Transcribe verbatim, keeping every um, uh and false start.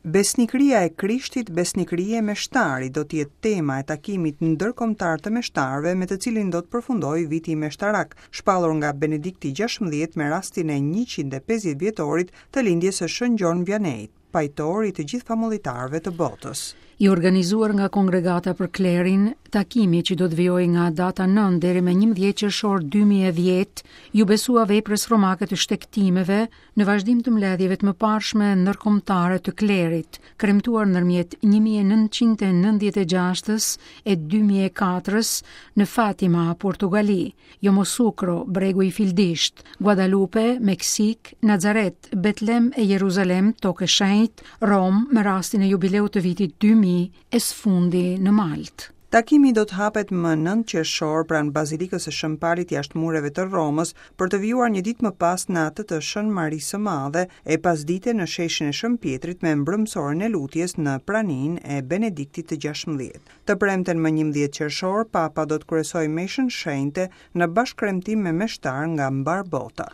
Besnikëria e Krishtit, besnikëri e meshtarit, do të jetë tema e takimit ndërkombëtar të meshtarëve, me të cilin do të përfundojë viti meshtarak, shpallur nga Benedikti gjashtëmbëdhjetë me rastin e njëqind e pesëdhjetë vjetorit të lindjes së Shën Gjon Vianeyt, pajtor i të gjithë famullitarëve të botës. I organizuar nga Kongregata për Klerin, takimi që do të vijojë nga data nëntë deri me njëmbëdhjetë qershor dy mijë e dhjetë, ju besua veprës romake të shtegtimeve në vazhdim të mbledhjeve të mëparshme ndërkombëtare të klerit, kremtuar ndërmjet një mijë e nëntëqind e nëntëdhjetë e gjashtës e dy mijë e katërës në Fatima, Portugali, Yamoussoukro, Bregu i Fildisht, Guadalupe, Meksik, Nazaret, Betlem e Jeruzalem, Tokë e Shenjtë, Rom, me rastin e jubileut të vitit dy mijë e së fundi në Maltë. Takimi do të hapet më nëntë qershor pranë Bazilikës së Shën Palit jashtë mureve të Romës, për të vijuar një ditë më pas në atë të Shën Marisë së Madhe e pasdite në sheshin e Shën Pietrit me mbrëmësorin e lutjes në praninë e Benediktit të gjashtëmbëdhjetë. Të premten më njëmbëdhjetë qershor, Papa do të kryesojë meshën shenjte në bashkëremtim me meshtar nga mbar bota.